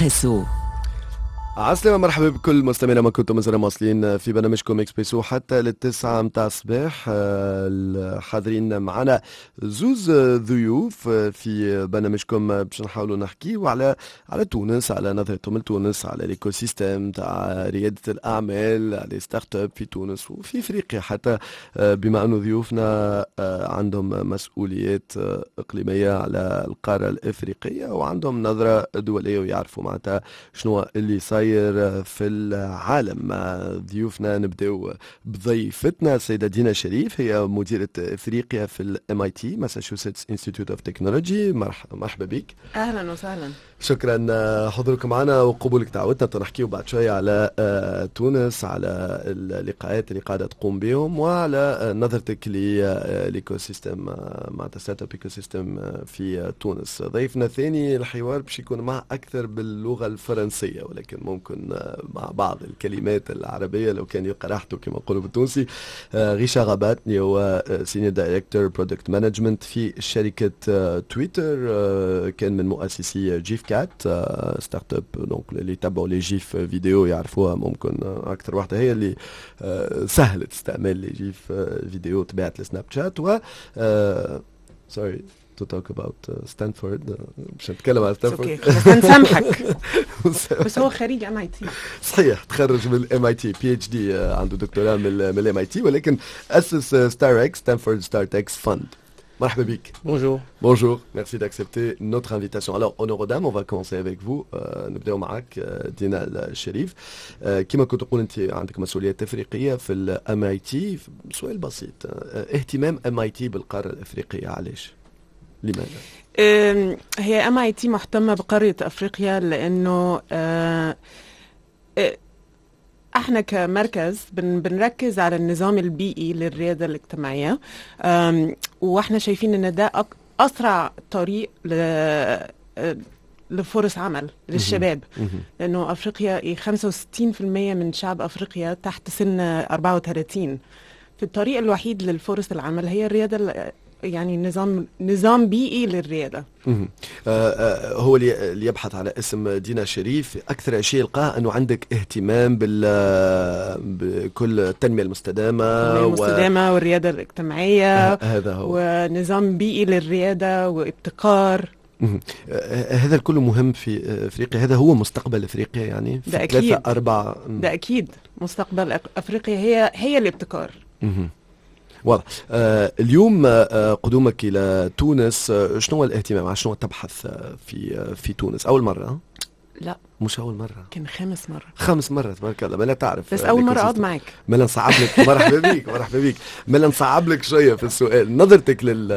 اكسبريسو. عسلامة، مرحبا بكل مستمعينا، ما كنتم مازال مواصلين في برنامجكم اكسبريسو حتى لل9 متاع الصباح. الحاضرين معنا زوز ضيوف في برنامجكم باش نحاولوا نحكيو على تونس، على نظرتهم لتونس، على l'écosystème تاع ريادة الأعمال، على startups في تونس وفي افريقيا حتى، بما أنه ضيوفنا عندهم مسؤوليات إقليمية على القارة الإفريقية وعندهم نظرة دولية ويعرفوا معناتها شنو اللي صاير في العالم. ضيوفنا، نبداو بضيفتنا السيدة دينا شريف، هي مديرة افريقيا في ال MIT، Massachusetts Institute of Technology. مرحبا بك. اهلا وسهلا. شكرا حضوركم معنا وقبولك دعوتنا. نحكيو بعد شوية على تونس، على اللقاءات اللي قاعدة تقوم بهم وعلى نظرتك ل l'écosystème، معناتها startup ecosystem في تونس. ضيفنا الثاني، الحوار باش يكون معه اكثر باللغة الفرنسية ولكن ممكن مع بعض الكلمات العربية لو كان يلقى راحته كما نقولوا بالتونسي، ريشار رابات اللي هو senior director product management في شركة تويتر، كان من مؤسسي Gfycat، startup donc اللي يتبعوا les GIF vidéo يعرفوها، ممكن اكثر واحدة هي اللي سهلت استعمال les GIF vidéo، تبعت لسناب شات. و sorry to talk about Stanford، باش نتكلم على ستانفورد. okay، بس نسامحك، بس هو خريج MIT. صحيح، تخرج من ال MIT، PhD، عنده دكتوراه من ال MIT، ولكن اسس StarX، Stanford StartX Fund. مرحبا بك. Bonjour. Bonjour, merci d'accepter notre invitation. Alors, honneur aux dames, on va commencer avec vous. نبداو معك دينا الشريف. كما كنت تقول، انت عندك مسؤوليات افريقية في ال MIT. سؤال بسيط، اهتمام MIT بالقاره الافريقيه، علاش؟ لماذا؟ هي MIT مهتمة بقاره افريقيا لانه احنا كمركز بنركز على النظام البيئي للرياده الاجتماعيه، واحنا شايفين ان ده اسرع طريق لفرص عمل للشباب، لانه افريقيا 65% من شعب افريقيا تحت سن 34. في الطريق الوحيد للفرص العمل هي الرياده، يعني نظام بيئي للرياده. هو اللي يبحث على اسم دينا شريف اكثر شيء يلقاه انه عندك اهتمام بكل التنمية المستدامه. التنمية المستدامة والرياده الاجتماعيه. هذا هو. ونظام بيئي للرياده وابتكار. هذا الكل مهم في افريقيا، هذا هو مستقبل افريقيا يعني في ده أكيد. ثلاثة أربعة. ده أكيد، مستقبل أفريقيا هي الابتكار. واضح. اليوم قدومك الى تونس، شنو هو الاهتمام؟ على شنو تبحث في تونس؟ اول مره؟ لا. مش اول مره؟ كان خامس مره. خامس مره، تبارك الله، ما تعرف. بس اول مرة اقعد معك. ما نصعب لك، مرحبا بك، مرحبا بك، ما نصعب لك شوية في السؤال، نظرتك لل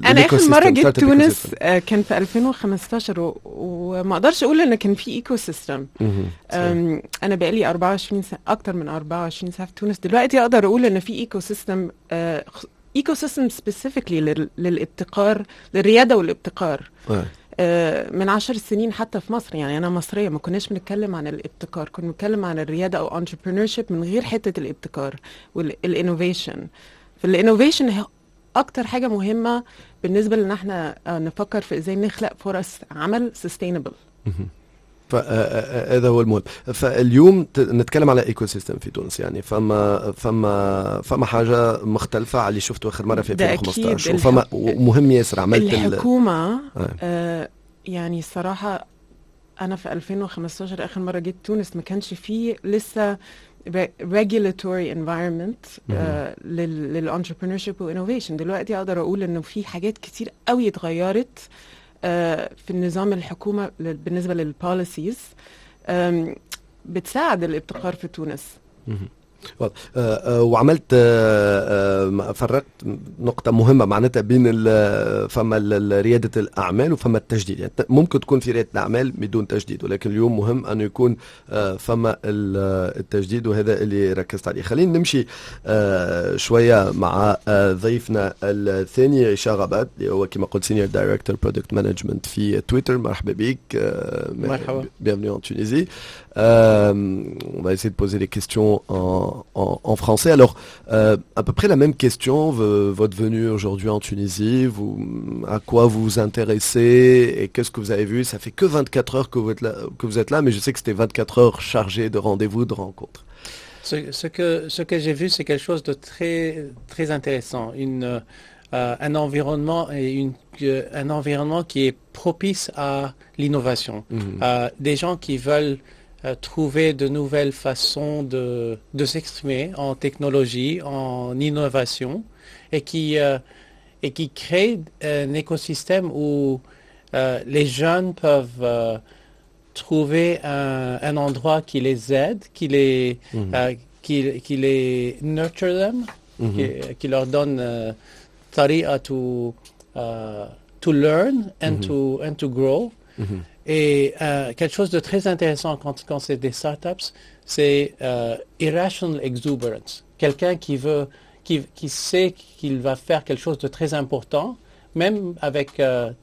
انا اخر مرة جيت تونس كان في 2015 وما اقدرش اقول ان كان في ecosystem. انا بقالي 24 سنه، اكتر من 24 سنة في تونس. دلوقتي اقدر اقول ان في ecosystem، ecosystem specifically للابتكار، للرياده والابتكار. من 10 سنين حتى في مصر، يعني انا مصريه، ما كناش بنتكلم عن الابتكار، كنا بنتكلم عن الرياده او entrepreneurship من غير حتة الابتكار وال innovation. فال innovation اكتر حاجة مهمة بالنسبة لنا احنا نفكر في ازاي نخلق فرص عمل sustainable. فهذا هو المهم. فاليوم نتكلم على ecosystem في تونس، يعني فما حاجة مختلفة على اللي شفته اخر مرة في 2015، وفما مهم ياسر عملت الحكومه. يعني الصراحة انا في 2015 اخر مرة جيت تونس ما كانش فيه لسه regulatory environment لل entrepreneurship و innovation. دلوقتي اقدر اقول انه في حاجات كتير قوي اتغيرت في النظام الحكومة بالنسبة لل policies بتساعد الابتكار في تونس. وعملت فرقت نقطة مهمة معناتها بين فما ريادة الأعمال وفما التجديد، يعني ممكن تكون في ريادة الأعمال بدون تجديد، ولكن اليوم مهم أنه يكون فما التجديد، وهذا اللي ركزت عليه. خلينا نمشي شوية مع ضيفنا الثاني ريشار رابات، اللي هو كما قلت senior director product management في تويتر. مرحبا بك. مرحبا. bienvenue en Tunisie. On va essayer de poser les questions en français. Alors, à peu près la même question, votre venue aujourd'hui en Tunisie, vous, à quoi vous vous intéressez et qu'est-ce que vous avez vu? Ça fait que 24 heures que vous êtes là, mais je sais que c'était 24 heures chargées de rendez-vous, de rencontres. Ce que j'ai vu, c'est quelque chose de très, très intéressant. Un environnement et un environnement qui est propice à l'innovation. Des gens qui veulent trouver de nouvelles façons de s'exprimer en technologie, en innovation, et qui créent un écosystème où les jeunes peuvent trouver un endroit qui les aide, qui les nurture them, qui leur donne طريقة to learn and to grow. Et quelque chose de très intéressant quand c'est des startups, c'est irrational exuberance. Quelqu'un qui sait qu'il va faire quelque chose de très important, même avec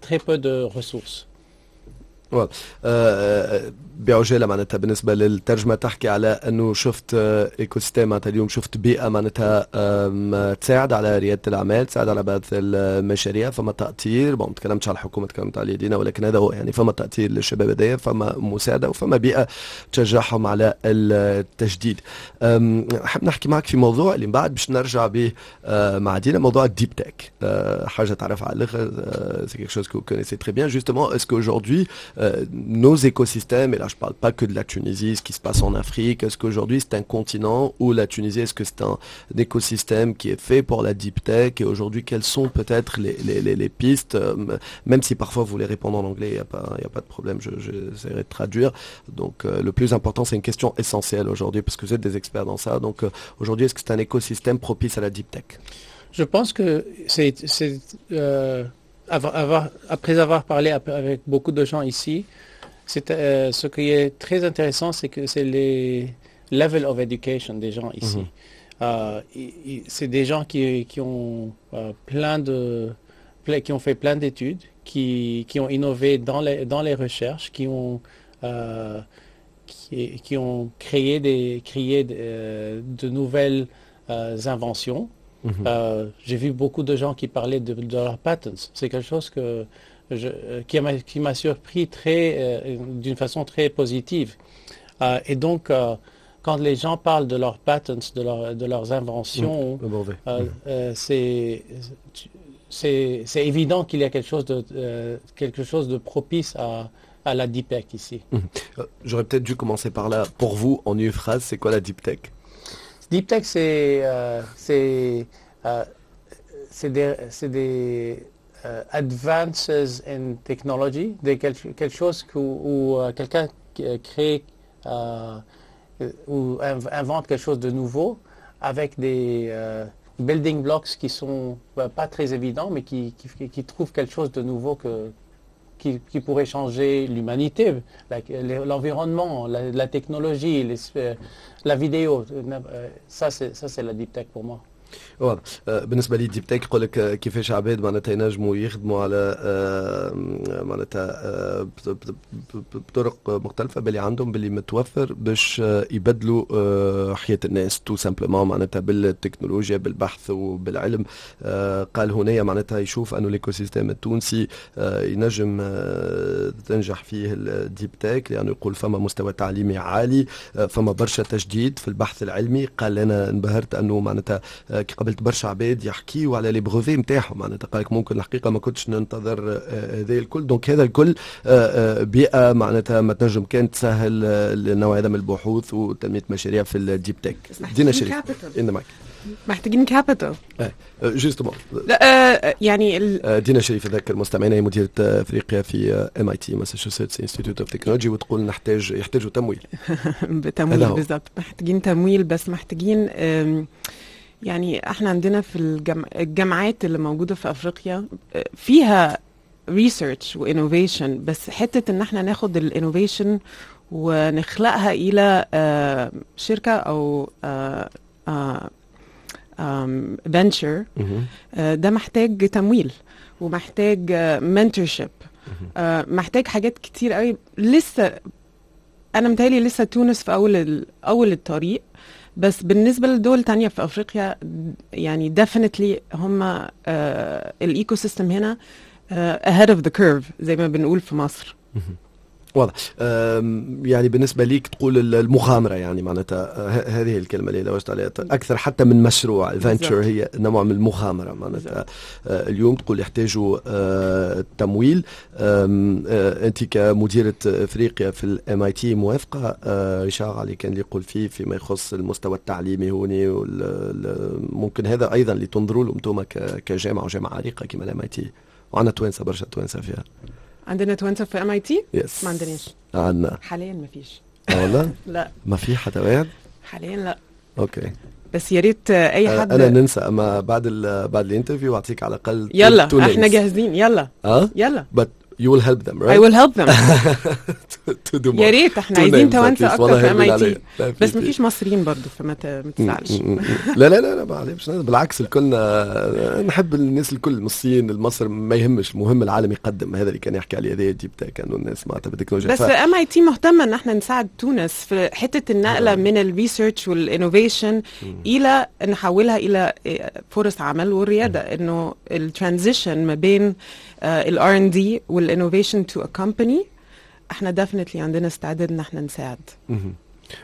très peu de ressources. بعجاله معناتها بالنسبة للترجمه، تحكي على انه شفت écosystème، معناتها اليوم شفت بيئة معناتها تساعد على رياده الاعمال، تساعد على بعث المشاريع، فما تاطير. bon، ما تكلمتش على الحكومه، تكلمت على دينا، ولكن هذا هو، يعني فما تاطير للشباب هذايا، فما مساعدة وفما بيئة تشجعهم على التجديد. حاب نحكي معك في موضوع اللي من بعد باش نرجع به مع دينا، موضوع ال deep tech، حاجة تعرفها على الاخر، c'est quelque chose que vous connaissez très bien. Justement, est-ce qu'aujourd'hui nos écosystèmes, et là je parle pas que de la Tunisie, ce qui se passe en Afrique, est-ce qu'aujourd'hui c'est un continent où la Tunisie, est-ce que c'est un écosystème qui est fait pour la deep tech? Et aujourd'hui, quelles sont peut-être les pistes, même si parfois vous voulez répondre en anglais, il n'y a pas de problème, j'essaierai de traduire. Donc le plus important, c'est une question essentielle aujourd'hui, parce que vous êtes des experts dans ça. Donc aujourd'hui, est-ce que c'est un écosystème propice à la deep tech? Je pense que c'est, après avoir parlé avec beaucoup de gens ici, ce qui est très intéressant, c'est que c'est les level of education des gens ici. C'est des gens qui ont fait plein d'études, qui ont innové dans les recherches, qui ont créé de nouvelles inventions. J'ai vu beaucoup de gens qui parlaient de leurs patents. C'est quelque chose qui m'a surpris d'une façon très positive. Et donc, quand les gens parlent de leurs patents, de leurs inventions, c'est évident qu'il y a quelque chose de propice à la deep tech ici. J'aurais peut-être dû commencer par là. Pour vous, en une phrase, c'est quoi la deep tech? Deep tech, c'est des advances in technology, quelque chose où quelqu'un crée ou invente quelque chose de nouveau avec des building blocks qui sont pas très évidents, mais qui trouvent quelque chose de nouveau qui pourrait changer l'humanité, l'environnement, la technologie, la vidéo. Ça, c'est la deep tech pour moi. واضح. بالنسبة لي deep tech، يقول لك كيفاش عباد معناتها ينجموا يخدموا على معناتها بطرق مختلفة باللي عندهم، باللي متوفر، باش يبدلوا حياة الناس tout simplement، معناتها بالتكنولوجيا، بالبحث وبالعلم. قال هنا معناتها يشوف انه l'écosystème التونسي ينجم تنجح فيه ال deep tech، لانه يقول فما مستوى تعليمي عالي، فما برشا تجديد في البحث العلمي. قال انا انبهرت انه معناتها كي قابلت برشا عباد يحكيوا على les brevets نتاعهم، معناتها قال لك ممكن الحقيقة ما كنتش ننتظر هذا الكل. donc هذا الكل بيئة معناتها ما تنجم كان تسهل النوع هذا من البحوث وتنميه مشاريع في ال deep tech. دينا شريف معك. محتاجين capital. justement. لا يعني دينا شريف، اذكر المستمعين، هي مديره افريقيا في MIT، Massachusetts Institute of Technology، وتقول يحتاجوا تمويل. تمويل بالضبط، محتاجين تمويل، بس محتاجين يعني احنا عندنا في الجامعات اللي موجودة في افريقيا فيها research و innovation، بس حتة ان احنا ناخد ال innovation ونخلقها الى شركة او venture، ده محتاج تمويل ومحتاج mentorship، محتاج حاجات كتير قوي لسه. انا متهيألي لسه تونس في اول الطريق، بس بالنسبة لدول تانية في افريقيا يعني definitely هم ال ecosystem هنا ahead of the curve زي ما بنقول في مصر. واضح. يعني بالنسبة ليك تقول المغامرة، يعني معناتها هذه الكلمة اللي لوجت عليها أكثر حتى من مشروع ال venture، هي نوع من المغامرة معناتها. اليوم تقول يحتاجوا تمويل. أنت كمديرة أفريقيا في ال MIT موافقة ريشار علي كان اللي يقول فيه فيما يخص المستوى التعليمي هوني؟ ممكن هذا أيضا اللي تنظروا له انتم كجامعة، وجامعة عريقة كما ال MIT، وعندنا توانسة، برشا توانسة فيها. عندنا توانسة في MIT؟ yes. ما عندناش. عندنا. حاليا ما فيش. آه والله؟ لا. ما في حتى واحد؟ حاليا لا. okay. بس يا ريت اي حد. انا ننسى، اما بعد ال interview اعطيك على الاقل. يلا، احنا جاهزين، يلا. اه. يلا. but you will help them، right؟ I will help them. to do more. يا ريت، احنا عايزين توانسة اكتر في MIT، بس ما فيش مصريين برضه، فما تزعلش. لا لا لا لا، معلش، بالعكس، الكل نحب الناس الكل، من الصين لمصر ما يهمش، المهم العالم يقدم. هذا اللي كان يحكي عليه، هذا deep tech، انه الناس معناتها بالتكنولوجيا. بس MIT مهتمة ان احنا نساعد تونس في حتة النقلة من ال research وال innovation الى نحولها الى فرص عمل والرياده، انه ال transition ما بين ال R&D وال innovation to a company، احنا definitely عندنا استعداد ان احنا نساعد.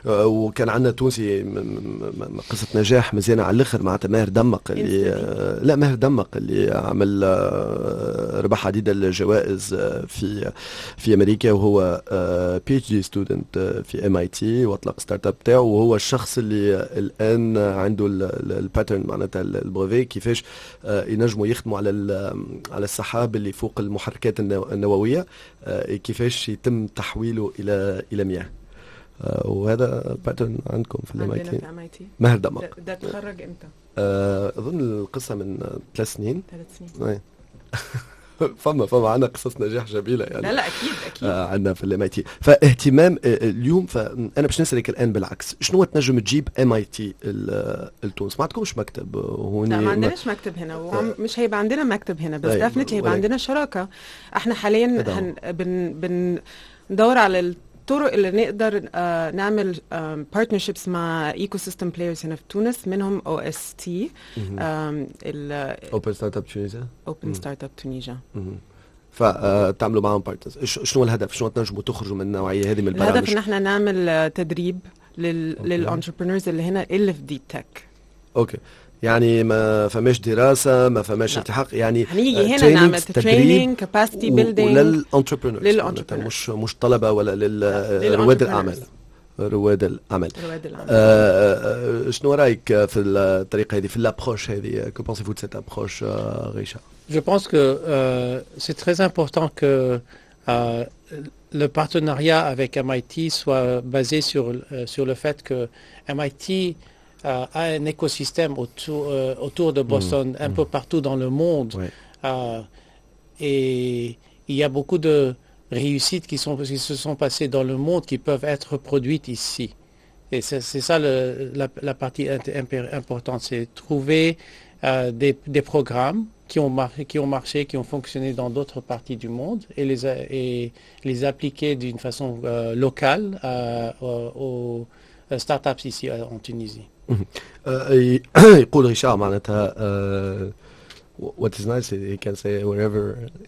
وكان عندنا تونسي قصة نجاح مزيانة على الاخر، معناتها ماهر دمق اللي لا، ماهر دمق اللي عمل ربح عديد الجوائز في امريكا، وهو PhD student في MIT، واطلق startup تاعو، وهو الشخص اللي الان عنده ال patent، معناتها ال brevet، كيفاش ينجموا يخدموا على السحاب اللي فوق المحركات النوويه، كيفاش يتم تحويله الى مياه. وهذا patent عندكم في ال MIT. ماهر دمق. ده اتخرج امتى؟ اظن القصة من 3 سنين. 3 سنين. فما عندنا قصص نجاح جميلة يعني. لا لا، اكيد اكيد. عندنا في ال MIT، فاهتمام اليوم، فانا باش نسالك الان بالعكس، شنو تنجم تجيب MIT لتونس؟ ما عندكمش مكتب هوني؟ لا، ما عندناش مكتب هنا ومش هيبقى عندنا مكتب هنا، بس definitely هيبقى عندنا شراكه. احنا حاليا بن بن ندور على الطرق اللي نقدر نعمل partnerships مع ecosystem players هنا في تونس، منهم OST. Open Startup Tunisia. Open Startup Tunisia. فتعملوا معهم partners، شنو الهدف؟ شنو تنجموا تخرجوا من النوعية هذه من البرامج؟ الهدف ان احنا نعمل تدريب لل entrepreneurs اللي هنا اللي في deep tech. okay، يعني ما فماش دراسه، ما فماش التحاق يعني؟ هنيجي هنا نعمل training، capacity building. ولل entrepreneurs؟ لل entrepreneurs. مش طلبه ولا لرواد الاعمال؟ رواد الاعمال. رواد الاعمال. شنو رايك في الطريقة هذه، في l'approche هذه؟ que pensez-vous de cette approche، Richard؟ Je pense que c'est très important que le partenariat avec MIT soit basé sur le fait que MIT a un écosystème autour de Boston, un peu partout dans le monde. Et il y a beaucoup de réussites qui se sont passées dans le monde qui peuvent être reproduites ici. Et c'est ça la partie importante, c'est trouver des programmes qui ont marché, qui ont fonctionné dans d'autres parties du monde et les appliquer d'une façon locale aux startups ici en Tunisie. يقول ريشار معناتها what is nice، he can say whatever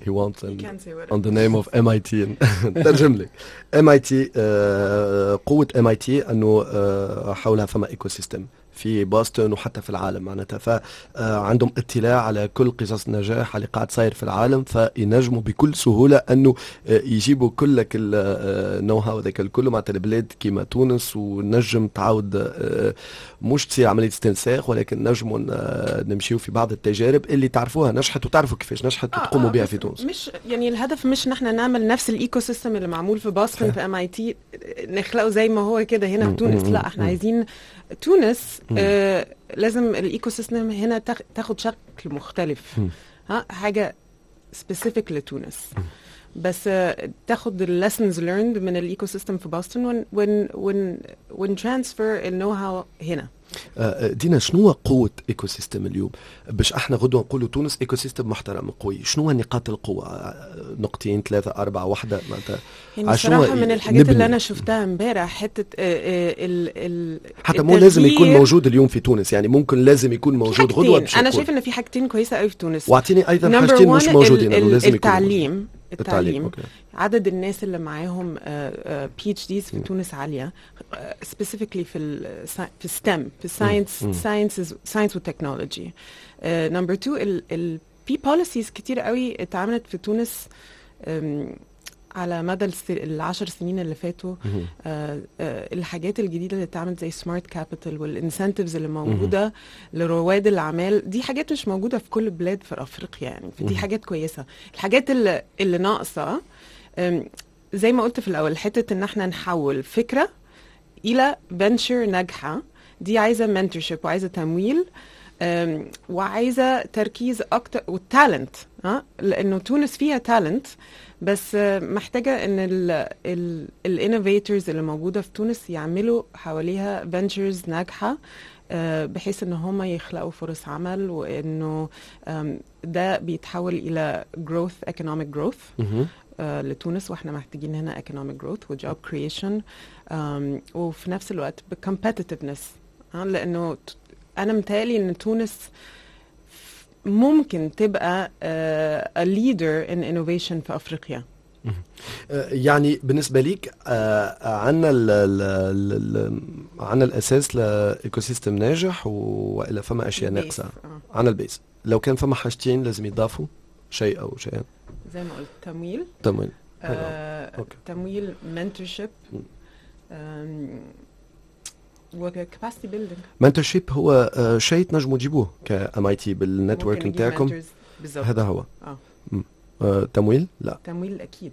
he wants and He can say whatever. on the name of MIT. نترجم لك، MIT، قوة MIT انه حولها فما ecosystem في بوسطن وحتى في العالم معناتها، فعندهم اطلاع على كل قصص النجاح اللي قاعد صاير في العالم، فينجموا بكل سهولة انه يجيبوا كل ال know-how هذاك الكل معناتها البلاد كيما تونس، ونجم تعاود مش تصير عملية استنساخ، ولكن نجموا نمشيو في بعض التجارب اللي تعرفوها نجحت وتعرفوا كيفاش نجحت وتقوموا بها في تونس. مش يعني الهدف مش ان احنا نعمل نفس ال ecosystem اللي معمول في بoston في MIT نخلقه زي ما هو كده هنا في تونس. لا، احنا عايزين تونس لازم ال ecosystem هنا تاخد شكل مختلف، ها حاجة specific لتونس. بس تاخد ال lessons learned من ال ecosystem في بوسطن ون ون ون ون transfer ال know-how هنا. دينا، شنو هو قوة écosystème اليوم باش احنا غدوة نقولوا تونس écosystème محترم قوي؟ شنو هو نقاط القوة؟ نقطتين، ثلاثة، أربعة، واحدة معناتها. يعني صراحة من الحاجات اللي أنا شفتها امبارح حتة ال ال حتى مو لازم يكون موجود اليوم في تونس، يعني ممكن لازم يكون موجود غدوة. أنا شايف إن في حاجتين كويسة قوي في تونس. واعطيني أيضا حاجتين مش موجودين. لازم التعليم، التعليم، okay. عدد الناس اللي معاهم PhDs في تونس عاليه، specifically في STEM، في science، science، science و technology. number 2، في policies كتير قوي اتعملت في تونس على مدى ال10 سنين اللي فاتوا. الحاجات الجديدة اللي اتعملت زي smart capital وال incentives اللي موجودة لرواد الاعمال، دي حاجات مش موجودة في كل البلاد في افريقيا يعني، فدي حاجات كويسه. الحاجات اللي ناقصه، زي ما قلت في الاول، حتة ان احنا نحول فكرة الى venture ناجحه، دي عايزه mentorship وعايزه تمويل وعايزه تركيز اكتر وال talent، ها لانه تونس فيها talent، بس محتاجه ان ال innovators اللي موجودة في تونس يعملوا حواليها ventures ناجحة بحيث ان هم يخلقوا فرص عمل، وانه ده بيتحول الى growth، economic growth لتونس، واحنا محتاجين هنا economic growth و job creation، وفي نفس الوقت ب competitiveness، لانه انا متهيألي ان تونس ممكن تبقى a leader in innovation في افريقيا. يعني بالنسبة ليك عندنا عندنا الاساس ل écosystème ناجح والا فما اشياء ناقصه؟ عندنا ال base. لو كان فما حاجتين لازم يضافوا، شيء او شيئين؟ زي ما قلت، تمويل. تمويل. تمويل، mentorship و capacity building. mentorship هو شيء تنجموا تجيبوه ك MIT بال network نتاعكم. هذا هو. تمويل لا. تمويل اكيد.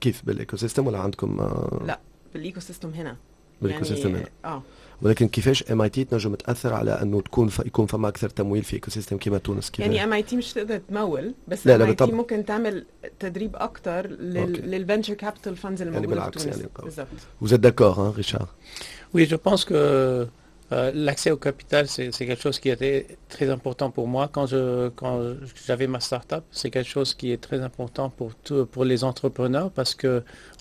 كيف؟ بال écosystème ولا عندكم؟ لا، بال écosystème هنا. بال écosystème يعني هنا. ولكن كيفاش MIT تنجم تاثر على انه يكون فما اكثر تمويل في écosystème كيما تونس؟ كيف يعني MIT مش تقدر تمول، بس لا، MIT ممكن تعمل تدريب اكثر لل venture capital funds اللي موجودة يعني في تونس. يعني بالضبط. Vous êtes d'accord, hein, Richard؟ Oui, je pense que l'accès au capital, c'est quelque chose qui était très important pour moi. Quand j'avais ma start-up, c'est quelque chose qui est très important pour les entrepreneurs parce que,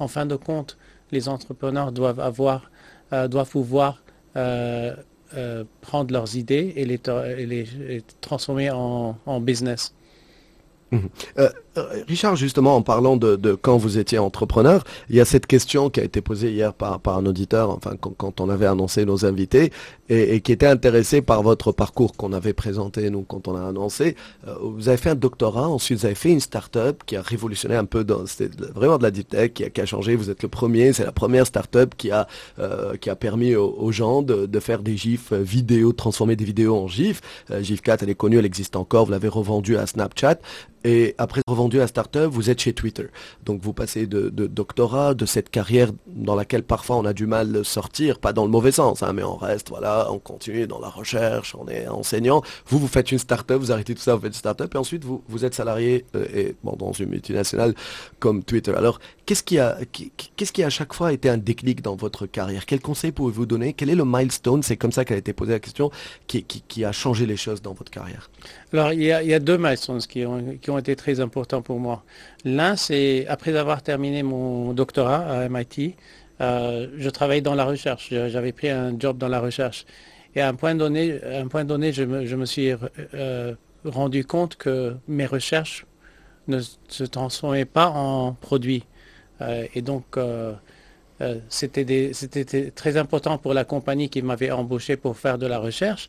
en fin de compte, les entrepreneurs doivent pouvoir prendre leurs idées et les transformer en business. Richard, justement, en parlant de quand vous étiez entrepreneur, il y a cette question qui a été posée hier par un auditeur, enfin quand on avait annoncé nos invités, et qui était intéressé par votre parcours qu'on avait présenté, nous, quand on a annoncé. Vous avez fait un doctorat, ensuite vous avez fait une start-up qui a révolutionné un peu, c'était vraiment de la deep tech, qui a changé. Vous êtes le premier, c'est la première start-up qui a permis aux gens de faire des gifs vidéo, de transformer des vidéos en gifs. GIF4, elle est connue, elle existe encore, vous l'avez revendue à Snapchat. Et après revendu à start-up, vous êtes chez Twitter. Donc vous passez de doctorat, de cette carrière dans laquelle parfois on a du mal à sortir, pas dans le mauvais sens, hein, mais on reste, voilà, on continue dans la recherche, on est enseignant. Vous, vous faites une start-up, vous arrêtez tout ça, vous faites une start-up, et ensuite vous, vous êtes salarié et, bon, dans une multinationale comme Twitter. Alors, qu'est-ce qui à chaque fois été un déclic dans votre carrière? Quel conseil pouvez-vous donner? Quel est le milestone? C'est comme ça qu'a été posée la question, qui a changé les choses dans votre carrière. Alors, il y a deux milestones qui ont été très importants pour moi. L'un, c'est après avoir terminé mon doctorat à MIT, je travaillais dans la recherche. J'avais pris un job dans la recherche. Et à un point donné, je me suis rendu compte que mes recherches ne se transformaient pas en produits. Et donc, c'était très important pour la compagnie qui m'avait embauché pour faire de la recherche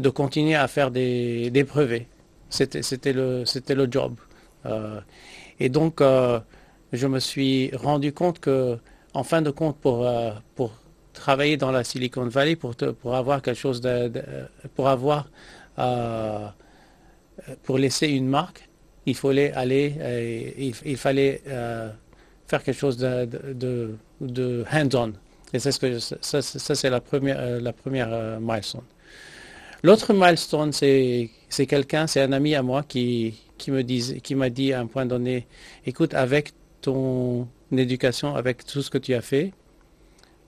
de continuer à faire des brevets. C'était le job. Et donc, je me suis rendu compte que, en fin de compte, pour travailler dans la Silicon Valley, pour avoir quelque chose de, pour avoir, pour laisser une marque, il fallait aller, il fallait faire quelque chose de hands-on. Et c'est ce que ça, c'est la première milestone. L'autre milestone, c'est quelqu'un, c'est un ami à moi qui m'a dit à un point donné, écoute, avec ton éducation, avec tout ce que tu as fait,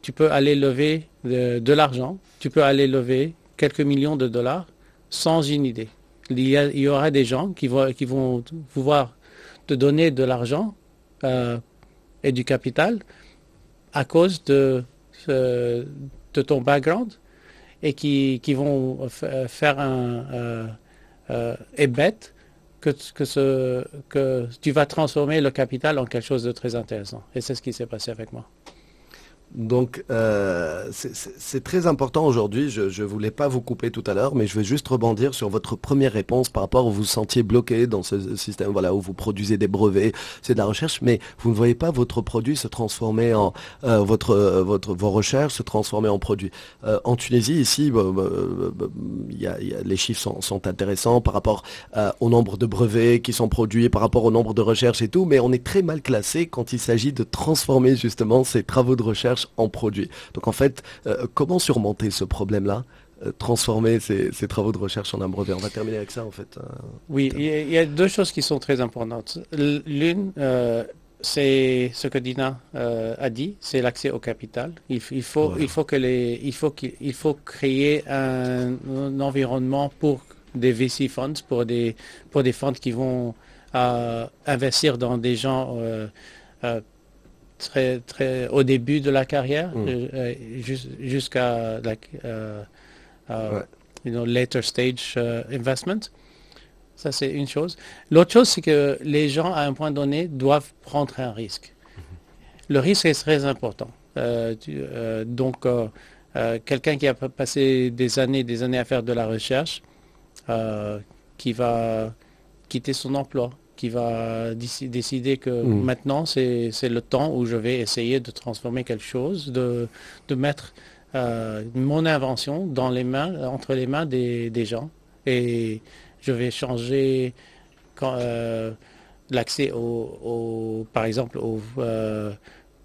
tu peux aller lever de l'argent, tu peux aller lever quelques millions de dollars sans une idée. Il y aura des gens qui vont pouvoir te donner de l'argent et du capital à cause de ton background et qui vont faire un et bet que tu vas transformer le capital en quelque chose de très intéressant. Et c'est ce qui s'est passé avec moi. Donc, c'est très important aujourd'hui. Je ne voulais pas vous couper tout à l'heure, mais je vais juste rebondir sur votre première réponse par rapport où vous vous sentiez bloqué dans ce système, voilà, où vous produisez des brevets, c'est de la recherche, mais vous ne voyez pas votre produit se transformer en vos recherches se transformer en produit. En Tunisie, ici, bah, bah, bah, y a, les chiffres sont intéressants par rapport au nombre de brevets qui sont produits, par rapport au nombre de recherches et tout, mais on est très mal classé quand il s'agit de transformer justement ces travaux de recherche en produits. Donc en fait, comment surmonter ce problème-là, transformer ces travaux de recherche en un brevet? On va terminer avec ça en fait. Oui, il y a deux choses qui sont très importantes. L'une, c'est ce que Dina a dit, c'est l'accès au capital. Il faut, voilà. il faut que les, il faut qu'il faut créer un environnement pour des VC funds, pour des fonds qui vont investir dans des gens très, très au début de la carrière, jusqu'à like, later stage investment. Ça, c'est une chose. L'autre chose, c'est que les gens, à un point donné, doivent prendre un risque. Le risque est très important. Donc, quelqu'un qui a passé des années à faire de la recherche, qui va quitter son emploi, qui va décider que maintenant, c'est le temps où je vais essayer de transformer quelque chose, de mettre mon invention dans les mains, entre les mains des gens. Et je vais changer l'accès par exemple, aux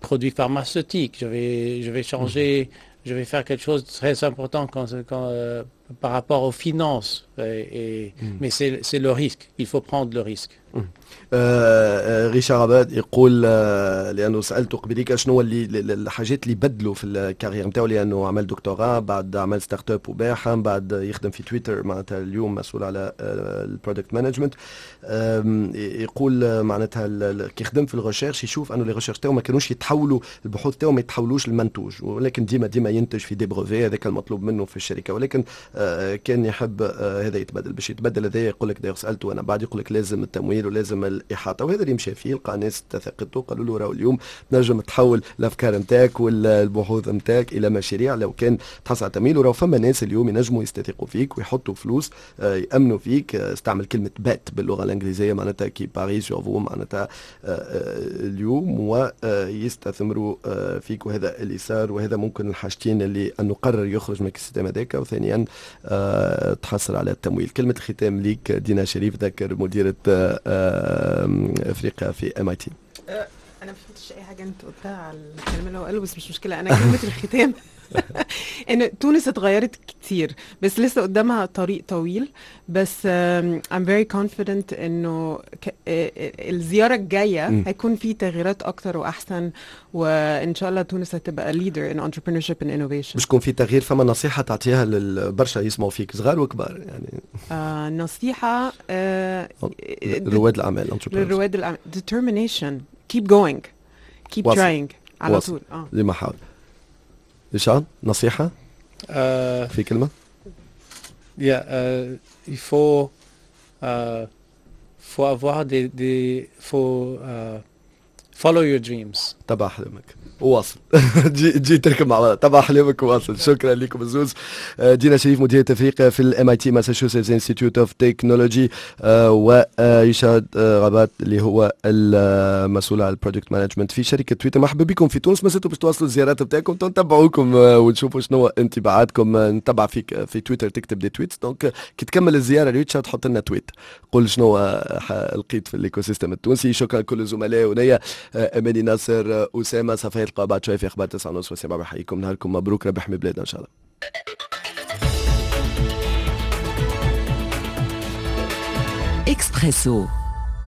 produits pharmaceutiques. Je vais changer, je vais faire quelque chose de très important par rapport aux finances. Mais c'est le risque. Il faut prendre le risque. ريشارد رابات يقول لانه سالته قبليك شنو اللي الحاجات اللي بدلوا في ال carrière نتاعو، لانه عمل دكتوراه، بعد عمل startup وباعها، بعد يخدم في تويتر، معناتها اليوم مسؤول على ال product management. يقول معناتها كي خدم في ال recherche يشوف انه les recherches تاعو ما كانوش يتحولوا، البحوث تاعو ما يتحولوش للمنتوج، ولكن ديما ديما ينتج في des brevets، هذاك المطلوب منه في الشركه، ولكن كان يحب هذا يتبدل. باش يتبدل هذا يقول لك، d'ailleurs سالته انا بعد، يقول لك لازم التمويل ولازم الاحاطه، وهذا اللي مشى فيه، لقى ناس تثقته، قالوا له راهو اليوم تنجم تحول الافكار نتاعك والبحوث نتاعك الى مشاريع لو كان تحصل على تمويل، وراهو فما ناس اليوم ينجموا يستثقوا فيك ويحطوا فلوس، يامنوا فيك. استعمل كلمة bet باللغة الانجليزيه، معناتها qui parie sur vous، معناتها اليوم ويستثمروا فيك، وهذا اللي صار. وهذا ممكن الحاجتين اللي انه قرر يخرج من ال système هذاك، وثانيا تحصل على التمويل. كلمة الختام ليك دينا شريف ذكر، مديره افريقيا في MIT. انا ما فهمتش اي حاجة انت قلتها على الكلام اللي هو قاله، بس مش مشكله. انا كلمة الختام ان تونس اتغيرت كتير بس لسه قدامها طريق طويل، بس I'm very confident انه الزيارة الجاية هيكون في تغييرات اكتر واحسن، وان شاء الله تونس هتبقى leader in entrepreneurship and innovation. باش يكون في تغيير، فما نصيحة تعطيها للبرشا يسمعوا فيك، صغار وكبار يعني؟ نصيحة رواد الاعمال. للرواد الاعمال، determination، keep going، keep trying على طول. لما حاول. ريشارد، نصيحة في كلمة؟ Yeah, il faut avoir des faut follow your dreams. تبع حلمك وواصل، تجي تجي تركب مع بعض، تبع حلمك وواصل. شكرا لكم الزوز، دينا شريف مديرة افريقيا في ال MIT، Massachusetts Institute of Technology، وريشارد رابات اللي هو المسؤول على ال product management في شركة تويتر. مرحبا بكم في تونس، ما زلتوا باش تواصلوا الزيارات بتاعكم، نتبعوكم ونشوفوا شنو انطباعاتكم. نتبع فيك في تويتر، تكتب des tweets، donc كي تكمل الزيارة ريتشارد تحط لنا tweet، قول شنو لقيت في ال écosystème التونسي. شكرا لكل الزملاء ونيا اماني ناصر، اسامة صفايا. تلقاو بعد شوية في اخبار 9:30 وسبعة. بحييكم، نهاركم مبروك، ربح بلادنا ان شاء الله. اكسبريسو.